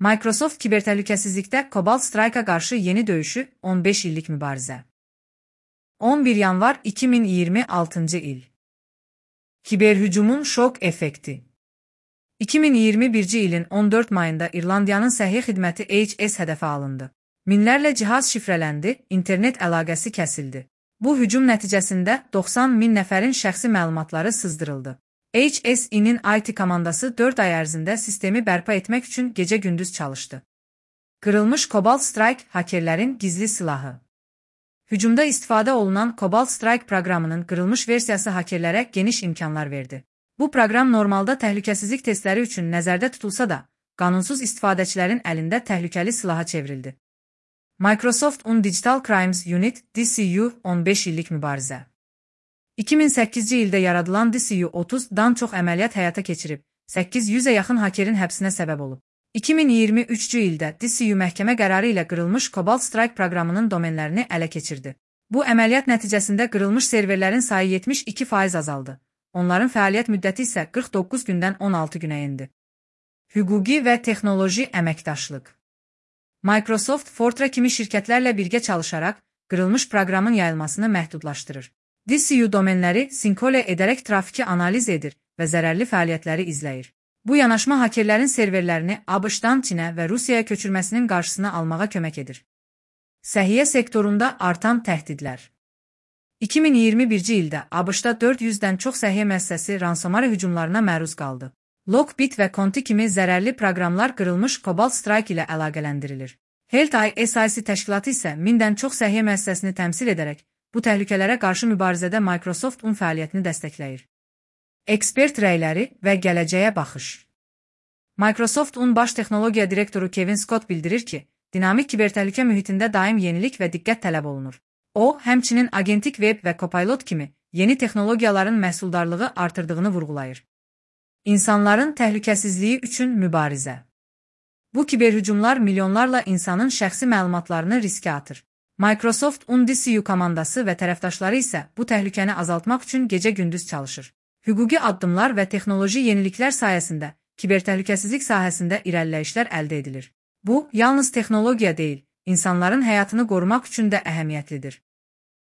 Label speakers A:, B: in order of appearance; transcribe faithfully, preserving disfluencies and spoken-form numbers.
A: Microsoft kibertəhlükəsizlikdə Cobalt Strike'a qarşı yeni döyüşü on beş illik mübarizə. on bir yanvar iki min iyirmi altıncı il. Kiberhücumun şok effekti. iki min iyirmi birinci ilin on dörd mayında İrlandiyanın səhiyyə xidməti H S hədəfə alındı. Minlərlə cihaz şifrələndi, internet əlaqəsi kəsildi. Bu hücum nəticəsində doxsan min nəfərin şəxsi məlumatları sızdırıldı. H S E-nin I T komandası dörd ay ərzində sistemi bərpa etmək üçün gecə-gündüz çalışdı. Qırılmış Cobalt Strike hakerlərin gizli silahı. Hücumda istifadə olunan Cobalt Strike proqramının qırılmış versiyası hakerlərə geniş imkanlar verdi. Bu proqram normalda təhlükəsizlik testləri üçün nəzərdə tutulsa da, qanunsuz istifadəçilərin əlində təhlükəli silaha çevrildi. Microsoft un Digital Crimes Unit D C U on beş illik mübarizə. iki min səkkizci ildə yaradılan D C U otuzdan çox əməliyyat həyata keçirib, səkkiz yüzə yaxın hakerin həbsinə səbəb olub. iki min iyirmi üçüncü ildə D C U məhkəmə qərarı ilə qırılmış Cobalt Strike proqramının domenlərini ələ keçirdi. Bu əməliyyat nəticəsində qırılmış serverlərin sayı yetmiş iki faiz azaldı. Onların fəaliyyət müddəti isə qırx doqquz gündən on altı günə endi. Hüquqi və texnoloji əməkdaşlıq. Microsoft, Fortran kimi şirkətlərlə birgə çalışaraq qırılmış proqramın yayılmasını məhdudlaşdırır. D C U domenləri sinkole edərək trafiki analiz edir və zərərli fəaliyyətləri izləyir. Bu yanaşma hakerlərin serverlərini ABŞ-dan Çinə və Rusiyaya köçürməsinin qarşısını almağa kömək edir. Səhiyyə sektorunda artan təhdidlər. iki min iyirmi birinci ildə ABŞ-da dörd yüzdən çox səhiyyə müəssisəsi ransomware hücumlarına məruz qaldı. Lockbit və Conti kimi zərərli proqramlar qırılmış Cobalt Strike ilə əlaqələndirilir. Health I S I C təşkilatı isə mindən çox səhiyyə müəssisəsini təmsil edərək, bu təhlükələrə qarşı mübarizədə Microsoft un fəaliyyətini dəstəkləyir. Ekspert rəyləri və gələcəyə baxış. Microsoft un baş texnologiya direktoru Kevin Scott bildirir ki, dinamik kibertəhlükə mühitində daim yenilik və diqqət tələb olunur. O, həmçinin Agentic Web və Copilot kimi yeni texnologiyaların məhsuldarlığı artırdığını vurğulayır. İnsanların təhlükəsizliyi üçün mübarizə. Bu kiberhücumlar milyonlarla insanın şəxsi məlumatlarını riskə atır. Microsoft un D C U komandası və tərəfdaşları isə bu təhlükəni azaltmaq üçün gecə-gündüz çalışır. Hüquqi addımlar və texnoloji yeniliklər sayəsində kibertəhlükəsizlik sahəsində irəliləyişlər əldə edilir. Bu, yalnız texnologiya deyil, insanların həyatını qorumaq üçün də əhəmiyyətlidir.